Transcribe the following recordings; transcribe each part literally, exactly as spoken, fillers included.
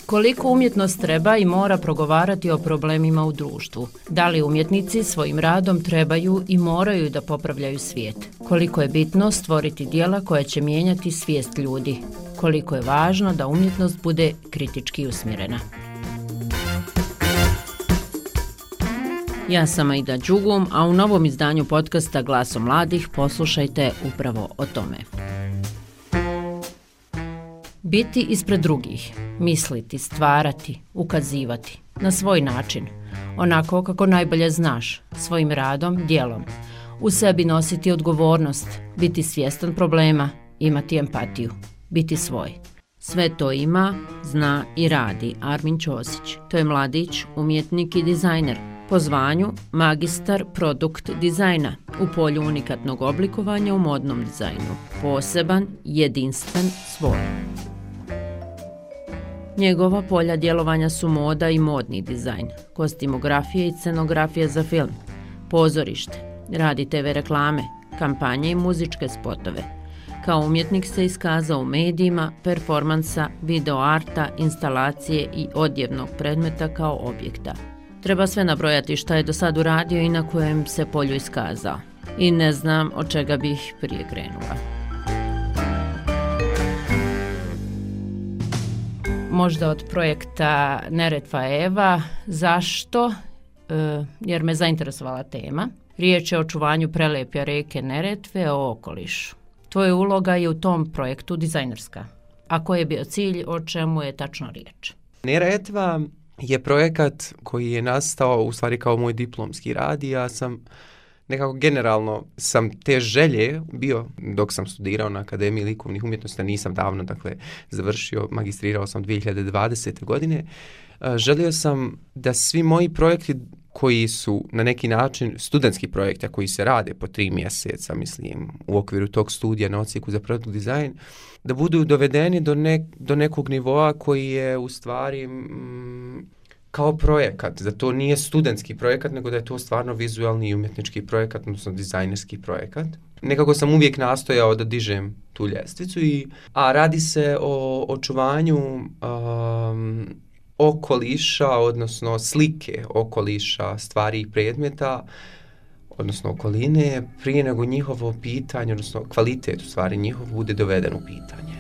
Koliko umjetnost treba i mora progovarati o problemima u društvu? Da li umjetnici svojim radom trebaju i moraju da popravljaju svijet? Koliko je bitno stvoriti djela koja će mijenjati svijest ljudi? Koliko je važno da umjetnost bude kritički usmjerena? Ja sam Aida Đugum, a u novom izdanju podcasta Glasom mladih poslušajte upravo o tome. Biti ispred drugih, misliti, stvarati, ukazivati, na svoj način, onako kako najbolje znaš, svojim radom, djelom. U sebi nositi odgovornost, biti svjestan problema, imati empatiju, biti svoj. Sve to ima, zna i radi Armin Ćosić. To je mladić, umjetnik i dizajner. Po zvanju magistar produkt dizajna u polju unikatnog oblikovanja u modnom dizajnu. Poseban, jedinstven, svoj. Njegova polja djelovanja su moda i modni dizajn, kostimografija i scenografija za film, pozorište, radi te ve reklame, kampanje i muzičke spotove. Kao umjetnik se iskazao u medijima, performansa, videoarta, instalacije i odjevnog predmeta kao objekta. Treba sve nabrojati šta je do sad uradio i na kojem se polju iskazao. I ne znam od čega bih prije krenula. Možda od projekta Neretva Eva. Zašto? E, jer me zainteresovala tema. Riječ je o očuvanju prelepja rijeke Neretve, o okolišu. Tvoja uloga je u tom projektu dizajnerska. A koji je bio cilj, o čemu je tačno riječ? Neretva je projekat koji je nastao u stvari kao moj diplomski rad i ja sam nekako generalno sam te želje bio dok sam studirao na Akademiji likovnih umjetnosti, nisam davno dakle završio, magistrirao sam dvije hiljade dvadesete. godine. Želio sam da svi moji projekti koji su na neki način studentski projekti, a koji se rade po tri mjeseca, mislim, u okviru tog studija na odsjeku za produkt dizajn, da budu dovedeni do, ne, do nekog nivoa koji je u stvari mm, kao projekat, da to nije studentski projekat, nego da je to stvarno vizualni i umjetnički projekat, odnosno dizajnerski projekat. Nekako sam uvijek nastojao da dižem tu ljestvicu, i, a radi se o očuvanju um, okoliša, odnosno slike okoliša, stvari i predmeta, odnosno okoline, prije nego njihovo pitanje, odnosno kvalitet u stvari njihov bude doveden u pitanje.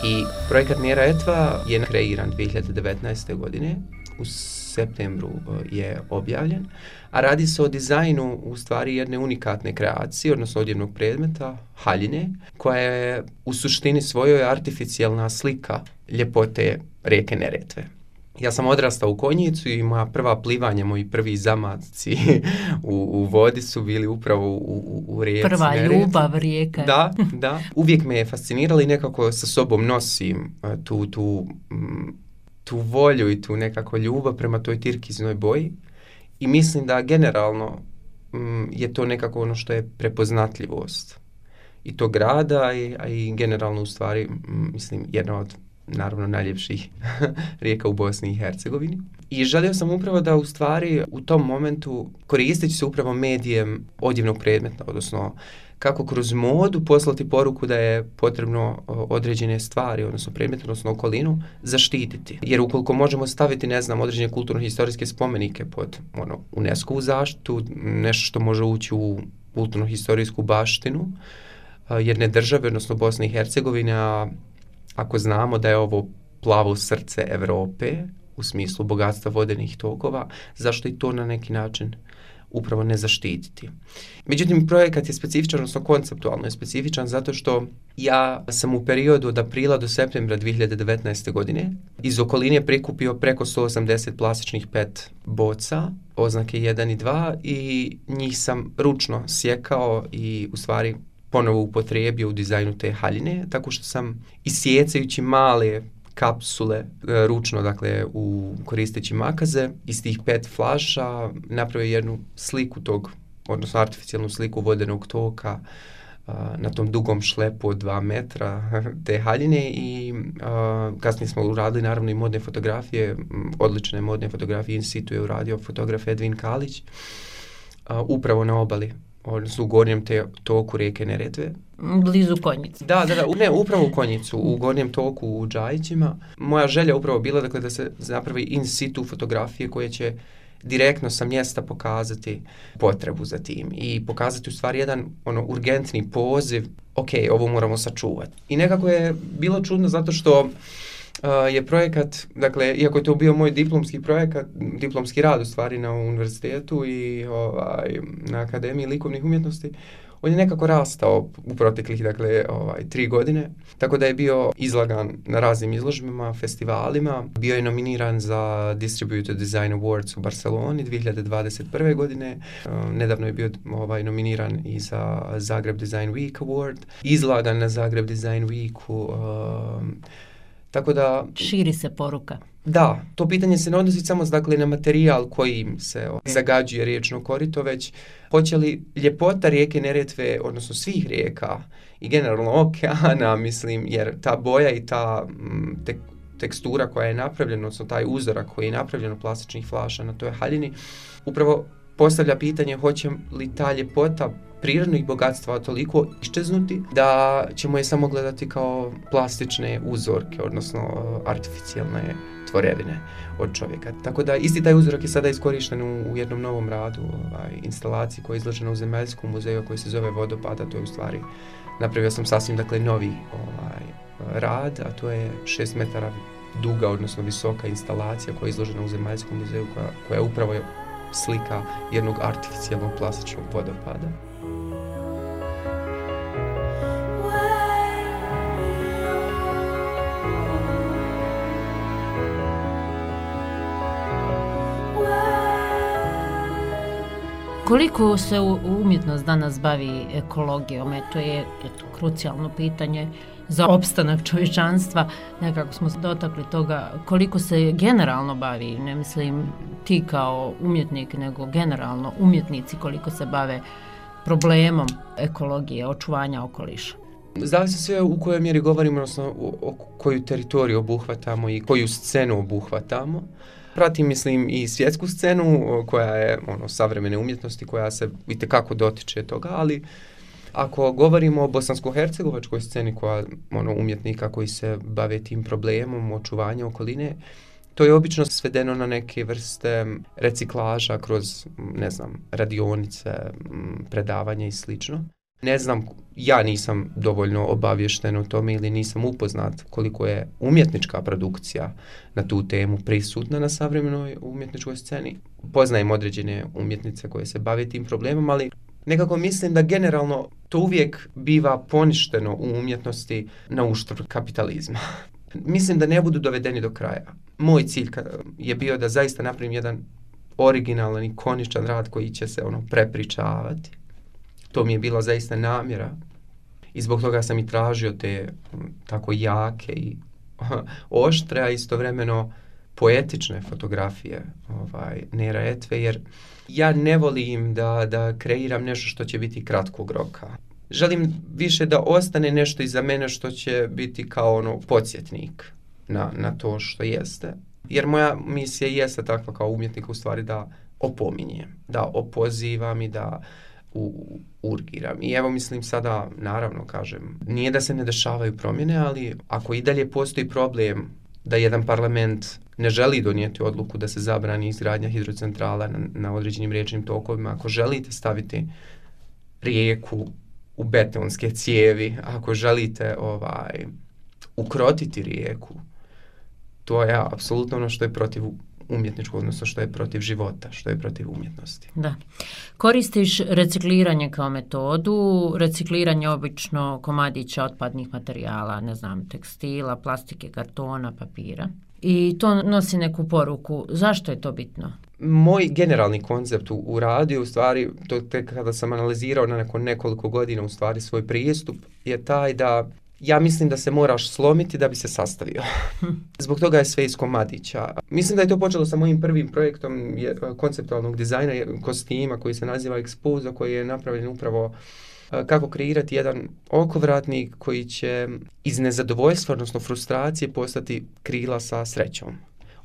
I projekat Neretva je kreiran dvije hiljade devetnaeste. godine, u septembru je objavljen, a radi se o dizajnu u stvari jedne unikatne kreacije, odnosno odjevnog predmeta, haljine, koja je u suštini svojoj artificijelna slika ljepote rijeke Neretve. Ja sam odrastao u Konjicu i moja prva plivanja, moji prvi zamaci u, u vodi su bili upravo u, u, u rijeci Prva Neretve. ljubav rijeka. Da, da. Uvijek me je fasciniralo i nekako sa sobom nosim tu, tu, tu volju i tu nekako ljubav prema toj tirkiznoj boji. I mislim da generalno je to nekako ono što je prepoznatljivost i tog grada, a i generalno u stvari, mislim, jedna od naravno najljepših rijeka u Bosni i Hercegovini. I želio sam upravo da u stvari u tom momentu koristeći se upravo medijem odjevnog predmeta, odnosno kako kroz modu poslati poruku da je potrebno određene stvari, odnosno predmete, odnosno okolinu, zaštititi. Jer ukoliko možemo staviti, ne znam, određene kulturno-historijske spomenike pod ono, UNESCO-vu zaštitu, nešto što može ući u kulturno-historijsku baštinu jedne države, odnosno Bosne i Hercegovine, ako znamo da je ovo plavo srce Europe u smislu bogatstva vodenih tokova, zašto i to na neki način upravo ne zaštititi? Međutim, projekat je specifičan, odnosno konceptualno je specifičan zato što ja sam u periodu od aprila do septembra dvije hiljade devetnaeste. godine iz okoline prikupio preko sto osamdeset plastičnih pet boca, oznake jedan i dva, i njih sam ručno sjekao i u stvari ponovo upotrijebio u dizajnu te haljine, tako što sam isjecajući male kapsule ručno, dakle u koristeći makaze, iz tih pet flaša napravio jednu sliku tog, odnosno artificijalnu sliku vodenog toka na tom dugom šlepu od dva metra te haljine i a, kasnije smo uradili naravno i modne fotografije, odlične modne fotografije, in situ je uradio fotograf Edvin Kalić, a, upravo na obali, odnosno u gornjem te, toku rijeke Neretve. Blizu Konjice. Da, da, da, ne, upravo u Konjicu, u gornjem toku u Džajićima. Moja želja upravo bila dakle, da se napravi in situ fotografije koje će direktno sa mjesta pokazati potrebu za tim i pokazati u stvari jedan ono urgentni poziv, ok, ovo moramo sačuvati. I nekako je bilo čudno zato što uh, je projekat, dakle, iako je to bio moj diplomski projekat, diplomski rad u stvari na univerzitetu i ovaj, na Akademiji likovnih umjetnosti, on je nekako rastao u proteklih, dakle, ovaj, tri godine, tako da je bio izlagan na raznim izložbama, festivalima, bio je nominiran za Distributed Design Awards u Barceloni dvije hiljade dvadeset prve godine, uh, nedavno je bio ovaj, nominiran i za Zagreb Design Week Award, izlagan na Zagreb Design Weeku, uh, tako da... Širi se poruka. Da, to pitanje se ne odnosi samo dakle, na materijal kojim se o, zagađuje riječno korito, već hoće li ljepota rijeke Neretve, odnosno svih rijeka i generalno okeana, mislim, jer ta boja i ta m, te, tekstura koja je napravljena, odnosno taj uzorak koji je napravljen od plastičnih flaša na toj haljini, upravo postavlja pitanje hoće li ta ljepota prirodnih bogatstva toliko iščeznuti da ćemo je samo gledati kao plastične uzorke, odnosno artificijalne tvorevine od čovjeka. Tako da isti taj uzorak je sada iskorišten u, u jednom novom radu, ovaj, instalaciji koja je izložena u Zemaljskom muzeju koji se zove Vodopada. To je u stvari, napravio sam sasvim dakle novi ovaj, rad, a to je šest metara duga, odnosno visoka instalacija koja je izložena u Zemaljskom muzeju koja, koja je upravo slika jednog artificijalnog plastičnog vodopada. Koliko se umjetnost danas bavi ekologijom, to je eto, krucijalno pitanje za opstanak čovječanstva. Nekako smo se dotakli toga koliko se generalno bavi, ne mislim ti kao umjetnik, nego generalno umjetnici koliko se bave problemom ekologije, očuvanja okoliša. Zavisi sve u kojoj mjeri govorimo, odnosno o, o koju teritoriju obuhvatamo i koju scenu obuhvatamo. Pratim, mislim, i svjetsku scenu koja je ono, savremene umjetnosti, koja se itekako dotiče toga, ali ako govorimo o bosansko-hercegovačkoj sceni koja ono, umjetnika koji se bave tim problemom očuvanja okoline, to je obično svedeno na neke vrste reciklaža kroz, ne znam, radionice, predavanja i slično. Ne znam, ja nisam dovoljno obavješten o tome ili nisam upoznat koliko je umjetnička produkcija na tu temu prisutna na savremenoj umjetničkoj sceni. Poznajem određene umjetnice koje se bave tim problemom, ali nekako mislim da generalno to uvijek biva poništeno u umjetnosti na uštrb kapitalizma. Mislim da ne budu dovedeni do kraja. Moj cilj je bio da zaista napravim jedan originalan i ikoničan rad koji će se ono prepričavati. To mi je bila zaista namjera i zbog toga sam i tražio te tako jake i oštre, a istovremeno poetične fotografije ovaj, Neretve, jer ja ne volim da, da kreiram nešto što će biti kratkog roka. Želim više da ostane nešto iza mene što će biti kao ono podsjetnik na, na to što jeste. Jer moja misija jeste takva kao umjetnika u stvari da opominjem, da opozivam i da u, urgiram. I evo mislim sada, naravno kažem, nije da se ne dešavaju promjene, ali ako i dalje postoji problem da jedan parlament ne želi donijeti odluku da se zabrani izgradnja hidrocentrala na, na određenim riječnim tokovima, ako želite staviti rijeku u betonske cijevi, ako želite ovaj, ukrotiti rijeku, to je apsolutno ono što je protiv umjetničkog, odnosno što je protiv života, što je protiv umjetnosti. Da. Koristiš recikliranje kao metodu, recikliranje obično komadića otpadnih materijala, ne znam, tekstila, plastike, kartona, papira. I to nosi neku poruku. Zašto je to bitno? Moj generalni koncept u, u radu je u stvari, to tek kada sam analizirao na neko, nekoliko godina u stvari svoj pristup, je taj da ja mislim da se moraš slomiti da bi se sastavio. Zbog toga je sve iz komadića. Mislim da je to počelo sa mojim prvim projektom je, konceptualnog dizajna kostima koji se naziva Exposa, koji je napravljen upravo kako kreirati jedan okovratnik koji će iz nezadovoljstva, odnosno frustracije, postati krila sa srećom.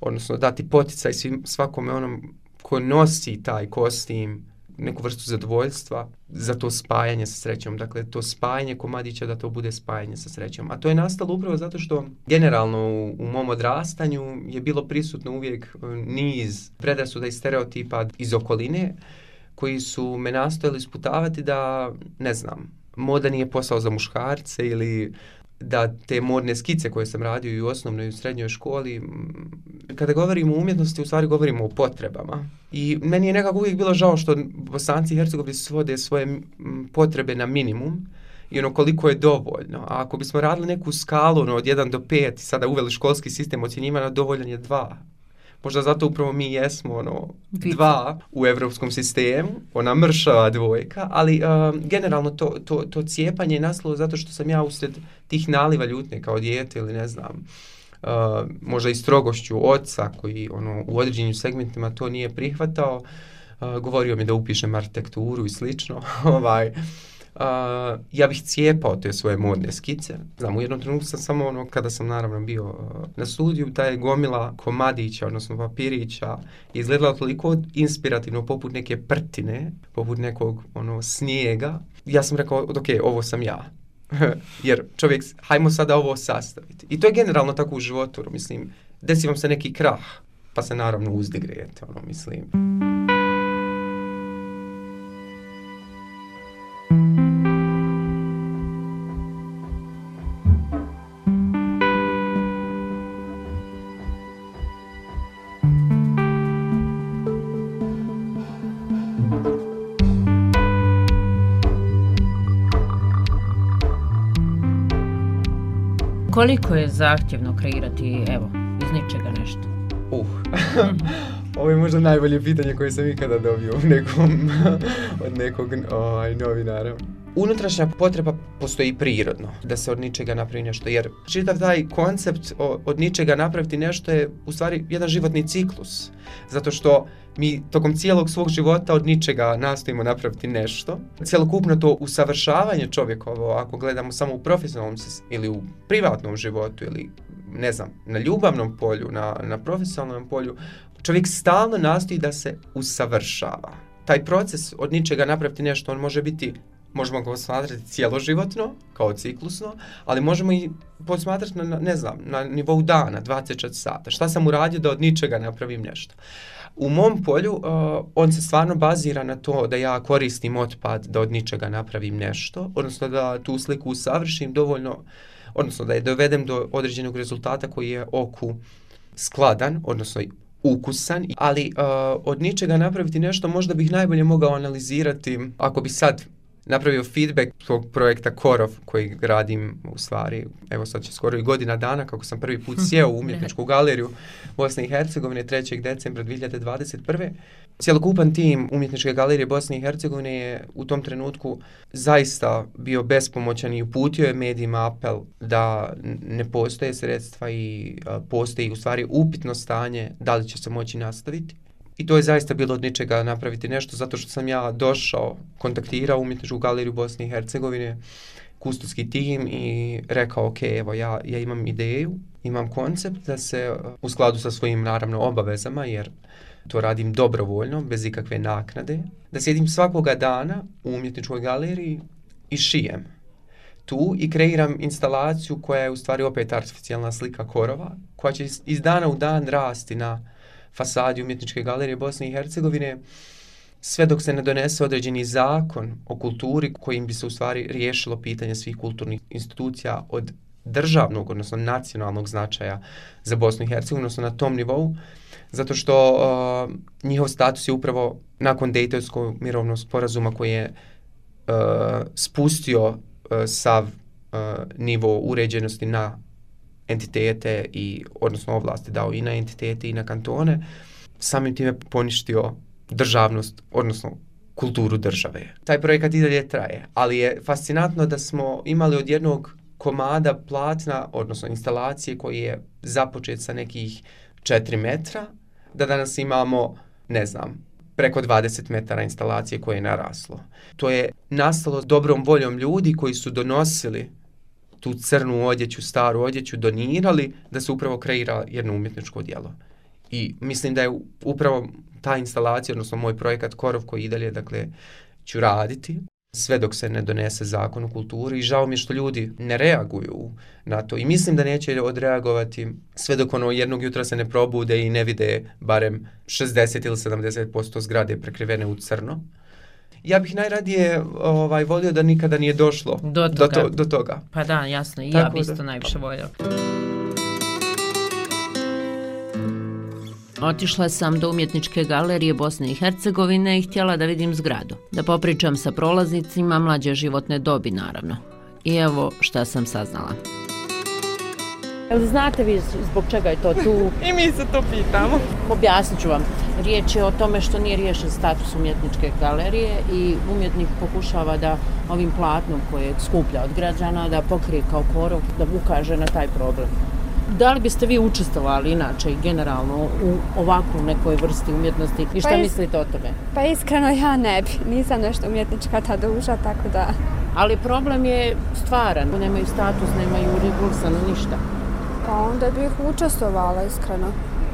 Odnosno dati poticaj svim, svakome onom ko nosi taj kostim, neku vrstu zadovoljstva za to spajanje sa srećom. Dakle, to spajanje komadića da to bude spajanje sa srećom. A to je nastalo upravo zato što generalno u, u mom odrastanju je bilo prisutno uvijek niz predrasuda i stereotipa iz okoline koji su me nastojali sputavati da, ne znam, moda nije posao za muškarce ili da te modne skice koje sam radio i u osnovnoj i u srednjoj školi, kada govorimo o umjetnosti, u stvari govorimo o potrebama. I meni je nekako uvijek bilo žao što Bosanci i Hercegovci svode svoje potrebe na minimum i ono koliko je dovoljno. A ako bismo radili neku skalu ono, od jedan do pet, sada uveli školski sistem ocjenjivanja, dovoljan je dva. Možda zato upravo mi jesmo ono, dva u evropskom sistemu, ona mršava dvojka, ali uh, generalno to, to, to cijepanje je nastalo zato što sam ja usred tih naliva ljutnje kao dijete ili ne znam, uh, možda i strogošću oca koji ono, u određenim segmentima to nije prihvatao, uh, govorio mi da upišem arhitekturu i slično, ovaj, Uh, ja bih cijepao te svoje modne skice. Znam, u jednom trenutku sam samo ono, kada sam naravno bio uh, na studiju, ta je gomila komadića, odnosno papirića, izgledala toliko inspirativno, poput neke prtine, poput nekog ono, snijega. Ja sam rekao, ok, ovo sam ja. Jer čovjek, hajmo sada ovo sastaviti. I to je generalno tako u životu, mislim, desi vam se neki krah, pa se naravno uzdigrejete, ono, mislim. Koliko je zahtjevno kreirati, evo, iz ničega nešto? Uh, ovo je možda najbolje pitanje koje sam ikada dobio u nekom, od nekog ovaj, novinara. Unutrašnja potreba postoji prirodno, da se od ničega napravi nešto, jer čitav taj koncept o, od ničega napraviti nešto je u stvari jedan životni ciklus, zato što mi tokom cijelog svog života od ničega nastojimo napraviti nešto. Cjelokupno to usavršavanje čovjekovo, ako gledamo samo u profesionalnom ili u privatnom životu ili ne znam, na ljubavnom polju, na, na profesionalnom polju, čovjek stalno nastoji da se usavršava. Taj proces od ničega napraviti nešto, on može biti, možemo ga posmatrati cijeloživotno, kao ciklusno, ali možemo i posmatrati na, ne znam, na nivou dana, dvadeset četiri sata. Šta sam uradio da od ničega napravim nešto? U mom polju uh, on se stvarno bazira na to da ja koristim otpad da od ničega napravim nešto, odnosno da tu sliku usavršim dovoljno, odnosno da je dovedem do određenog rezultata koji je oku skladan, odnosno ukusan, ali uh, od ničega napraviti nešto možda bih najbolje mogao analizirati ako bi sad napravio feedback tog projekta Korov koji radim u stvari, evo sad će skoro i godina dana kako sam prvi put sjeo u umjetničku galeriju Bosne i Hercegovine trećeg decembra dvije hiljade dvadeset prve. Cjelokupan tim umjetničke galerije Bosne i Hercegovine je u tom trenutku zaista bio bespomoćan i uputio je medijima apel da ne postoje sredstva i a, postoji u stvari upitno stanje da li će se moći nastaviti. I to je zaista bilo od ničega napraviti nešto, zato što sam ja došao, kontaktirao umjetničku galeriju Bosne i Hercegovine, kustovski tim i rekao, ok, evo ja, ja imam ideju, imam koncept da se u skladu sa svojim naravno obavezama, jer to radim dobrovoljno, bez ikakve naknade, da sjedim svakoga dana u umjetničkoj galeriji i šijem tu i kreiram instalaciju koja je u stvari opet artificijalna slika Korova, koja će iz dana u dan rasti na fasadi umjetničke galerije Bosne i Hercegovine, sve dok se ne donese određeni zakon o kulturi kojim bi se u stvari riješilo pitanje svih kulturnih institucija od državnog, odnosno nacionalnog značaja za Bosnu i Hercegovinu, odnosno na tom nivou, zato što uh, njihov status je upravo nakon Dejtonskog mirovnog sporazuma koji je uh, spustio uh, sav uh, nivo uređenosti na entitete i odnosno ovlasti dao i na entitete i na kantone, samim time poništio državnost, odnosno kulturu države. Taj projekat i dalje traje, ali je fascinantno da smo imali od jednog komada platna, odnosno instalacije koji je započet sa nekih četiri metra, da danas imamo, ne znam, preko dvadeset metara instalacije koje je naraslo. To je nastalo dobrom voljom ljudi koji su donosili tu crnu odjeću, staru odjeću, donirali da se upravo kreira jedno umjetničko djelo. I mislim da je upravo ta instalacija, odnosno moj projekat Korov koji i dalje, dakle, ću raditi sve dok se ne donese zakon o kulturi i žao mi je što ljudi ne reaguju na to i mislim da neće odreagovati sve dok ono jednog jutra se ne probude i ne vide barem šezdeset ili sedamdeset posto zgrade prekrivene u crno. Ja bih najradije ovaj, volio da nikada nije došlo do toga. Do, to, do toga. Pa da, jasno, i Tako ja bih isto da, najviše voljela. Otišla sam do umjetničke galerije Bosne i Hercegovine i htjela da vidim zgradu. Da popričam sa prolaznicima mlađe životne dobi, naravno. I evo šta sam saznala. Znate vi zbog čega je to tu? I mi se to pitamo. Objasnit ću vam. Riječ je o tome što nije riješen status umjetničke galerije i umjetnik pokušava da ovim platnom koje skuplja od građana da pokrije kao korov, da ukaže na taj problem. Da li biste vi učestvovali inače i generalno u ovakvu nekoj vrsti umjetnosti i šta pa is... mislite o tome? Pa iskreno ja ne bi, nisam nešto umjetnička ta duša, tako da... Ali problem je stvaran, nemaju status, nemaju regulisano ništa. Pa onda bih učestvovala iskreno,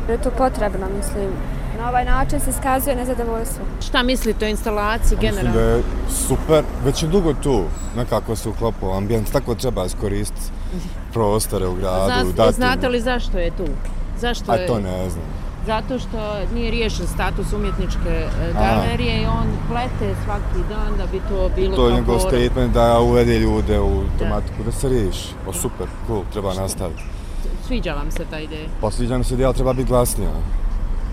jer je to potrebno, mislim. Na ovaj način se iskazuje nezadovoljstvo. Šta mislite o instalaciji generalno? Mislim da je super, već je dugo tu, nekako se uklopao ambijent, tako treba iskoristiti prostore u gradu. Zna, znate li zašto je tu? Zašto je... A to ne znam. Zato što nije riješen status umjetničke galerije A. i on plete svaki dan da bi to bilo... To je njegov statement da uvede ljude u tematiku, da, da se riješi. O super, cool, treba što? Nastaviti. Sviđa vam se ta ideja? Pa sviđa mi se ideja, treba biti glasnija.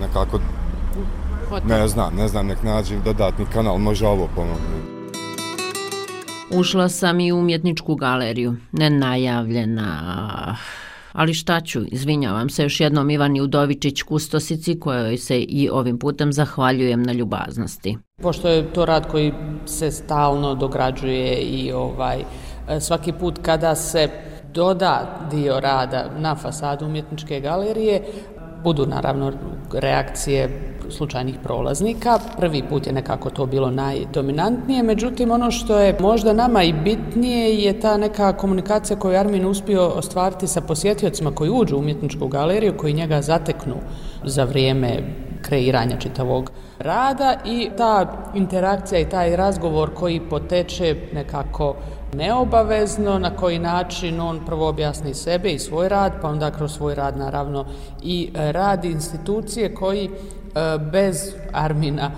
Nekako, Hotel. ne znam, ne znam, nek nađem dodatni kanal, može ovo pomoći. Ušla sam i u umjetničku galeriju, nenajavljena, ali šta ću, izvinjavam se još jednom Ivani Udovičić Kustosici kojoj se i ovim putem zahvaljujem na ljubaznosti. Pošto je to rad koji se stalno dograđuje i ovaj svaki put kada se doda dio rada na fasadu umjetničke galerije, budu naravno reakcije slučajnih prolaznika. Prvi put je nekako to bilo najdominantnije, međutim ono što je možda nama i bitnije je ta neka komunikacija koju je Armin uspio ostvariti sa posjetiocima koji uđu u umjetničku galeriju, koji njega zateknu za vrijeme kreiranja čitavog rada i ta interakcija i taj razgovor koji poteče nekako neobavezno, na koji način on prvo objasni sebe i svoj rad, pa onda kroz svoj rad naravno i rad institucije koji bez Armina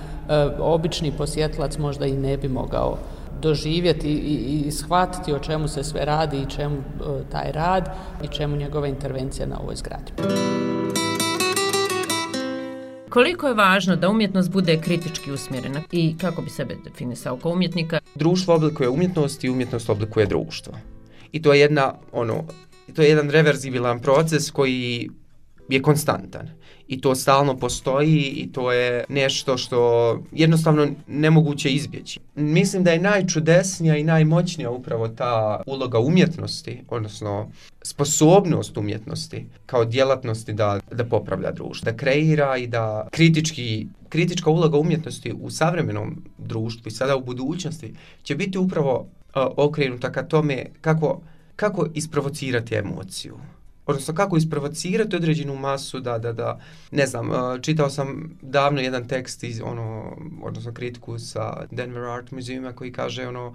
obični posjetilac možda i ne bi mogao doživjeti i, i shvatiti o čemu se sve radi i čemu taj rad i čemu njegova intervencija na ovoj zgradi. Koliko je važno da umjetnost bude kritički usmjerena i kako bi sebe definisao kao umjetnika? Društvo oblikuje umjetnost i umjetnost oblikuje društvo. I to je jedna, ono, to je jedan reverzibilan proces koji je konstantan. I to stalno postoji i to je nešto što jednostavno nemoguće izbjeći. Mislim da je najčudesnija i najmoćnija upravo ta uloga umjetnosti, odnosno sposobnost umjetnosti kao djelatnosti da, da popravlja društvo, da kreira i da kritički, kritička uloga umjetnosti u savremenom društvu i sada u budućnosti će biti upravo uh, okrenuta ka tome kako, kako isprovocirati emociju. Odnosno kako isprovocirati određenu masu da, da, da, ne znam, čitao sam davno jedan tekst iz, ono, odnosno kritiku sa Denver Art Museuma koji kaže, ono,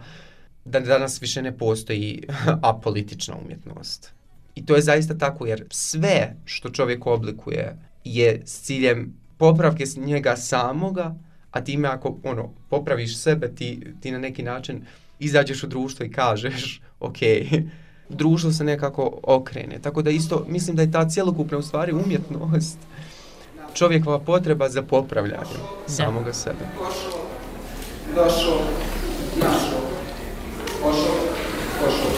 da danas više ne postoji apolitična umjetnost. I to je zaista tako, jer sve što čovjek oblikuje je s ciljem popravke s njega samoga, a time ako, ono, popraviš sebe, ti, ti na neki način izađeš u društvo i kažeš, ok, društvo se nekako okrene. Tako da isto mislim da je ta cjelokupna u stvari umjetnost čovjekova potreba za popravljanjem samoga sebe. Pošao, došao, našao. Pošao, pošao,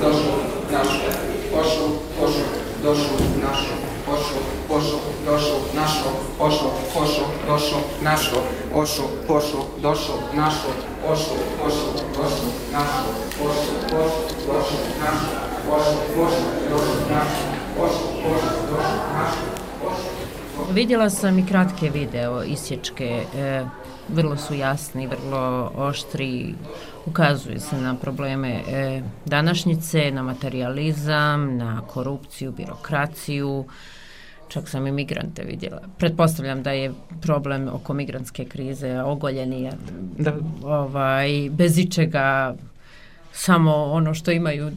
došao, našao. Pošao, pošao, došao, našao. Pošao, pošao, došao, našao. Pošao, pošao, došao, našao. Pošao, pošao, došao, našao. Pošao, pošao, došao, našao. Pošao, pošao, došao, našao. Pošao, pošao, došao, našao. Pošao, pošao, došao, našao. Vidjela sam i kratke video isječke e, vrlo su jasni, vrlo oštri, ukazuju se na probleme e, današnjice, na materijalizam, na korupciju, birokraciju, čak sam i migrante vidjela. Pretpostavljam da je problem oko migrantske krize ogoljeni, da. Ovaj, bez ičega, samo ono što imaju,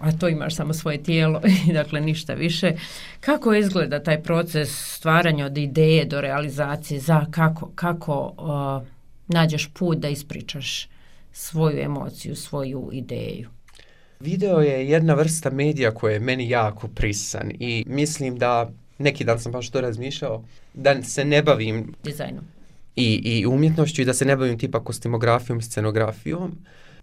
a to imaš samo svoje tijelo i dakle ništa više. Kako izgleda taj proces stvaranja od ideje do realizacije, za kako, kako uh, nađeš put da ispričaš svoju emociju, svoju ideju? Video je jedna vrsta medija koja je meni jako prisan i mislim da neki dan sam baš to razmišljao, da se ne bavim dizajnom i, i umjetnošću i da se ne bavim tipa kostimografijom, scenografijom.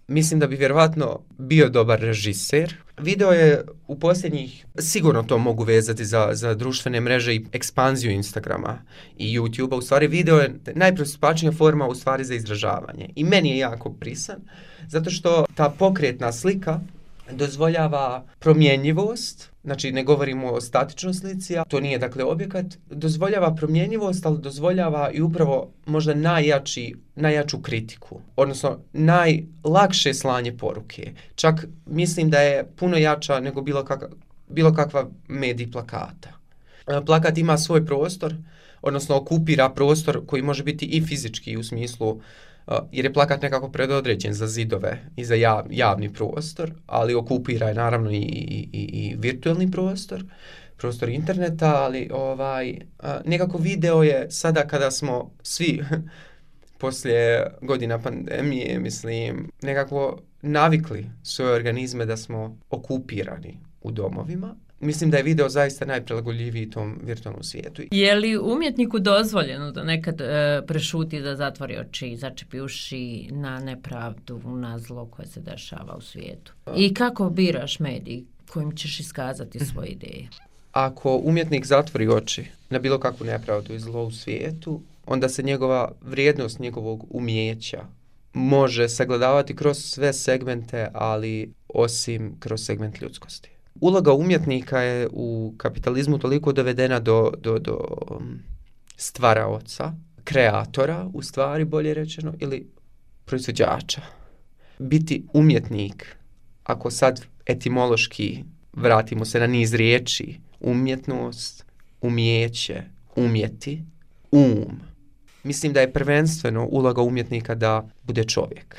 Mislim da bi vjerovatno bio dobar režiser. Video je u posljednjih, sigurno to mogu vezati za, za društvene mreže i ekspanziju Instagrama i YouTubea. U stvari video je najpristupačnija forma u stvari za izražavanje. I meni je jako prisan, zato što ta pokretna slika dozvoljava promjenjivost, znači ne govorimo o statičnoj slici, to nije dakle objekat, dozvoljava promjenjivost, ali dozvoljava i upravo možda najjači, najjaču kritiku, odnosno najlakše slanje poruke. Čak mislim da je puno jača nego bilo, kak, bilo kakva medij plakata. Plakat ima svoj prostor, odnosno okupira prostor koji može biti i fizički u smislu Uh, jer je plakat nekako predodređen za zidove i za jav, javni prostor, ali okupira je naravno i, i, i, i virtualni prostor, prostor interneta, ali ovaj, uh, nekako video je sada kada smo svi poslije godina pandemije, mislim, nekako navikli svoje organizme da smo okupirani u domovima. Mislim da je video zaista najprilagodljiviji tom virtualnom svijetu. Je li umjetniku dozvoljeno da nekad e, prešuti, da zatvori oči, začepi uši na nepravdu, na zlo koje se dešava u svijetu? I kako biraš medij kojim ćeš iskazati svoje ideje? Ako umjetnik zatvori oči na bilo kakvu nepravdu i zlo u svijetu, onda se njegova vrijednost njegovog umijeća može sagledavati kroz sve segmente, ali osim kroz segment ljudskosti. Uloga umjetnika je u kapitalizmu toliko dovedena do, do, do stvaraoca, kreatora, u stvari bolje rečeno, ili proizvođača. Biti umjetnik, ako sad etimološki vratimo se na niz riječi, umjetnost, umijeće, umjeti, um. Mislim da je prvenstveno uloga umjetnika da bude čovjek.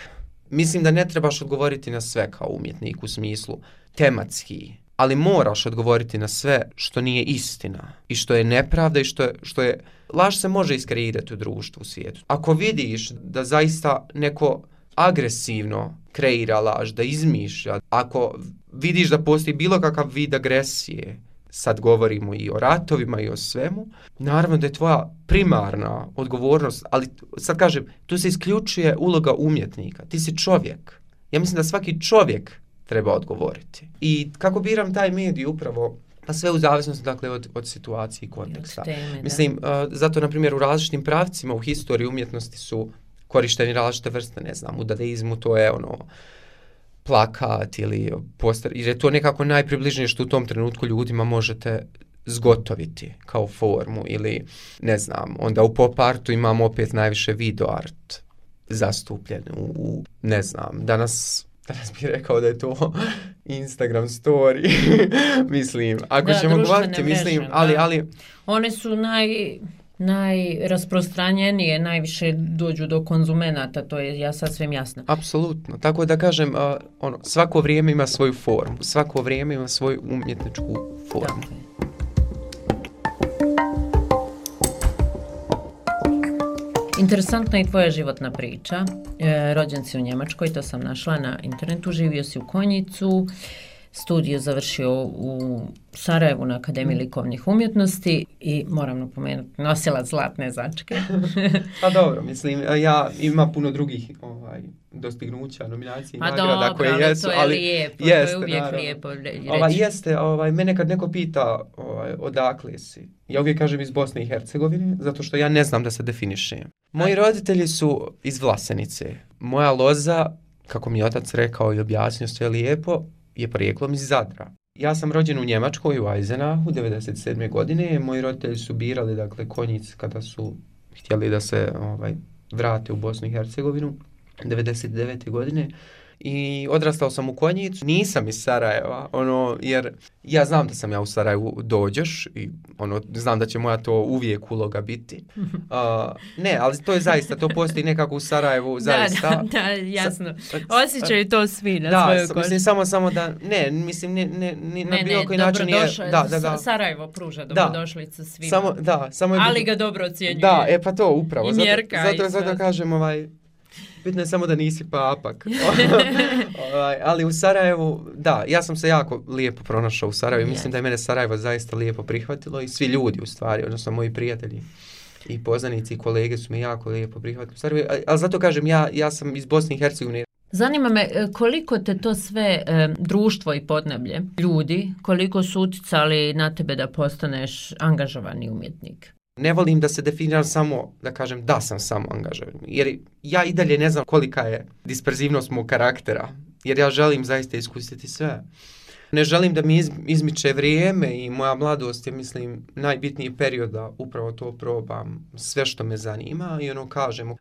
Mislim da ne trebaš odgovoriti na sve kao umjetnik u smislu tematski, ali moraš odgovoriti na sve što nije istina i što je nepravda i što je, što je... Laž se može iskreirati u društvu, u svijetu. Ako vidiš da zaista neko agresivno kreira laž, da izmišlja, ako vidiš da postoji bilo kakav vid agresije, sad govorimo i o ratovima i o svemu, naravno da je tvoja primarna odgovornost, ali sad kažem, tu se isključuje uloga umjetnika. Ti si čovjek. Ja mislim da svaki čovjek treba odgovoriti. I kako biram taj medij upravo, pa sve u zavisnosti dakle od, od situacije i konteksta. Teme, mislim, uh, zato na primjer u različitim pravcima u historiji umjetnosti su korišteni različite vrste, ne znam, u dadaizmu to je ono plakat ili poster, jer je to nekako najpribližnije što u tom trenutku ljudima možete zgotoviti kao formu ili ne znam, onda u pop artu imamo opet najviše video art zastupljen u, u ne znam, danas Danas bih rekao da je to Instagram story. Mislim, ako da, ćemo govoriti, mislim, ali, ali... One su naj, najrasprostranjenije, najviše dođu do konzumenata, to je ja sasvim jasno. Apsolutno. Tako da kažem, uh, ono, svako vrijeme ima svoju formu, svako vrijeme ima svoju umjetničku formu. Dakle. Interesantna je tvoja životna priča. E, rođen si u Njemačkoj, to sam našla na internetu, živio si u Konjicu, studiju završio u Sarajevu na Akademiji likovnih umjetnosti i moram napomenuti, nosila zlatne začke. Pa dobro, mislim, ja ima puno drugih ovaj, dostignuća, nominacije i nagrada koje dobro, jesu, ali ali lijepo, jeste, to je uvijek naravno. lijepo reći. Ovaj, jeste, ovaj, mene kad neko pita ovaj, odakle si, ja uvijek kažem iz Bosne i Hercegovine, zato što ja ne znam da se definišem. Moji roditelji su iz Vlasenice. Moja loza, kako mi je otac rekao i objasnio sve lijepo, je porijeklom iz Zadra. Ja sam rođen u Njemačkoj, u Eisenachu, devedeset sedme godine. Moji roditelji su birali, dakle, Konjic kada su htjeli da se ovaj, vrate u Bosnu i Hercegovinu devedeset devete godine. I odrastao sam u Konjicu, nisam iz Sarajeva, ono, jer ja znam da sam ja u Sarajevu dođeš i ono, znam da će moja to uvijek uloga biti. Uh, ne, ali to je zaista, to postoji nekako u Sarajevu, zaista. Da, da, da, jasno. Osjećaju to svi na da, svojoj koži. Mislim, samo, samo da, ne, mislim, ne, ne, ne, na ne, bilo ne, koji način je... Da, da, da. Sarajevo pruža dobrodošlicu svima. Samo, da, samo je, ali ga dobro ocjenjuje. Da, e pa to upravo. I mjerka. Zato, zato, zato kažem, ovaj... Bitno je samo da nisi papak. Ali u Sarajevu, da, ja sam se jako lijepo pronašao u Sarajevu. Mislim da je mene Sarajevo zaista lijepo prihvatilo i svi ljudi u stvari, odnosno moji prijatelji i poznanici i kolege su me jako lijepo prihvatili u Sarajevu. Ali zato kažem, ja, ja sam iz Bosne i Hercegovine. Zanima me koliko te to sve e, društvo i podneblje, ljudi, koliko su uticali na tebe da postaneš angažovani umjetnik? Ne volim da se definiram samo, da kažem da sam samo angažovan, jer ja i dalje ne znam kolika je disperzivnost mog karaktera, jer ja želim zaista iskusiti sve. Ne želim da mi iz, izmiče vrijeme i moja mladost je, mislim, najbitniji period da upravo to probam, sve što me zanima i ono kažem. Uh,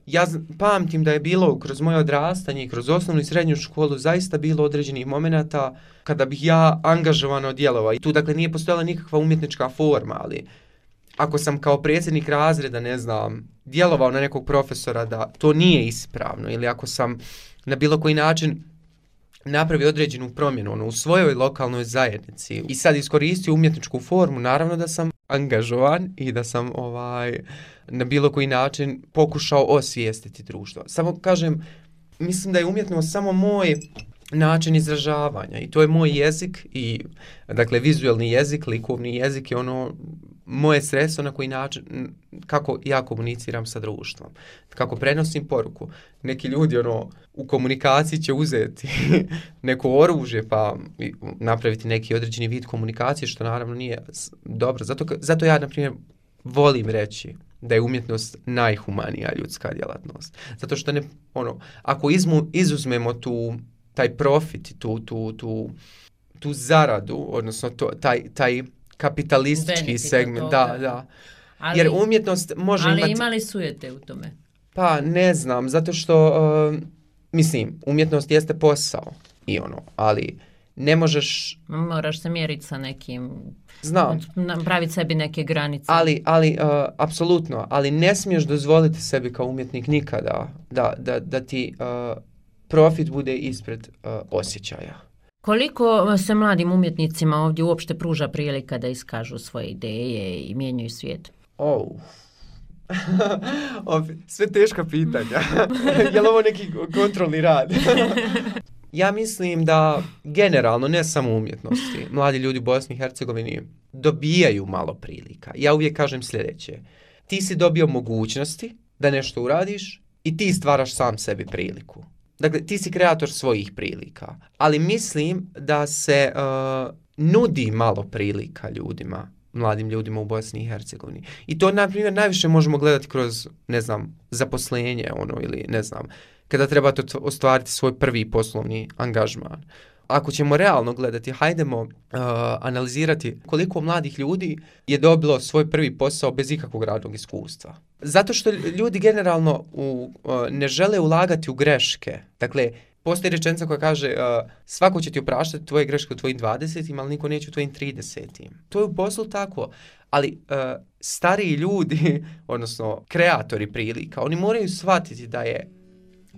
ja pamtim da je bilo kroz moje odrastanje i kroz osnovnu i srednju školu zaista bilo određenih momenata kada bih ja angažovano djelovao i tu dakle nije postojala nikakva umjetnička forma, ali ako sam kao predsjednik razreda, ne znam, djelovao na nekog profesora da to nije ispravno ili ako sam na bilo koji način napravio određenu promjenu ono, u svojoj lokalnoj zajednici i sad iskoristio umjetničku formu, naravno da sam angažovan i da sam ovaj na bilo koji način pokušao osvijestiti društvo. Samo kažem, mislim da je umjetnost samo moj način izražavanja i to je moj jezik i dakle vizualni jezik, likovni jezik je ono moje sredstvo na koji način, kako ja komuniciram sa društvom, kako prenosim poruku. Neki ljudi ono u komunikaciji će uzeti neko oružje pa napraviti neki određeni vid komunikacije što naravno nije dobro. Zato, zato ja na primjer volim reći da je umjetnost najhumanija ljudska djelatnost. Zato što ne, ono, ako izmu, izuzmemo tu taj profit, tu, tu, tu, tu zaradu, odnosno to, taj, taj kapitalistički benefit segment, da, da. Ali, jer umjetnost može ali imati... Ali imali sujete u tome? Pa ne znam, zato što, uh, mislim, umjetnost jeste posao i ono, ali ne možeš... Moraš se mjeriti sa nekim... Znam. Praviti sebi neke granice. Ali, ali uh, apsolutno, ali ne smiješ dozvoliti sebi kao umjetnik nikada da, da, da ti uh, profit bude ispred uh, osjećaja. Koliko se mladim umjetnicima ovdje uopšte pruža prilika da iskažu svoje ideje i mijenjaju svijet? Oh. Sve teška pitanja. Je li ovo neki kontrolni rad? Ja mislim da generalno, ne samo umjetnosti, mladi ljudi u Bosni i Hercegovini dobijaju malo prilika. Ja uvijek kažem sljedeće. Ti si dobio mogućnosti da nešto uradiš i ti stvaraš sam sebi priliku. Dakle, ti si kreator svojih prilika, ali mislim da se uh, nudi malo prilika ljudima, mladim ljudima u Bosni i Hercegovini. I to, na primjer, najviše možemo gledati kroz, ne znam, zaposlenje, ono, ili, ne znam, kada trebate ostvariti svoj prvi poslovni angažman. Ako ćemo realno gledati, hajdemo uh, analizirati koliko mladih ljudi je dobilo svoj prvi posao bez ikakvog radnog iskustva. Zato što ljudi generalno u, uh, ne žele ulagati u greške. Dakle, postoji rečenica koja kaže uh, svako će ti opraštati tvoje greške u tvojim dvadesetim, ali niko neće u tvojim tridesetim. To je u poslu tako, ali uh, stariji ljudi, odnosno kreatori prilika, oni moraju shvatiti da je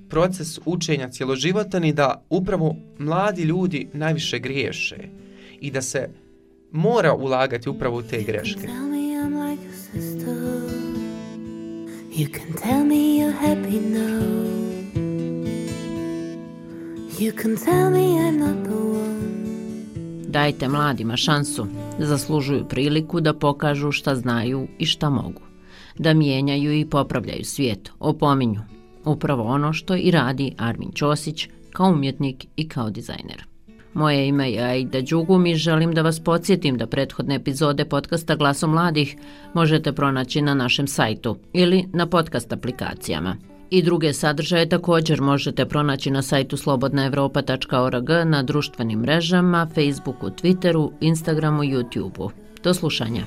proces učenja cjeloživotan i da upravo mladi ljudi najviše griješe i da se mora ulagati upravo u te greške. You can tell me you're happy now. You can tell me I'm not the one. Dajte mladima šansu, zaslužuju priliku da pokažu šta znaju i šta mogu, da mijenjaju i popravljaju svijet, opominju. Upravo ono što i radi Armin Ćosić kao umjetnik i kao dizajner. Moje ime je Aida Đugum i želim da vas podsjetim da prethodne epizode podcasta Glaso mladih možete pronaći na našem sajtu ili na podcast aplikacijama. I druge sadržaje također možete pronaći na sajtu slobodna evropa tačka org, na društvenim mrežama, Facebooku, Twitteru, Instagramu i YouTubeu. Do slušanja.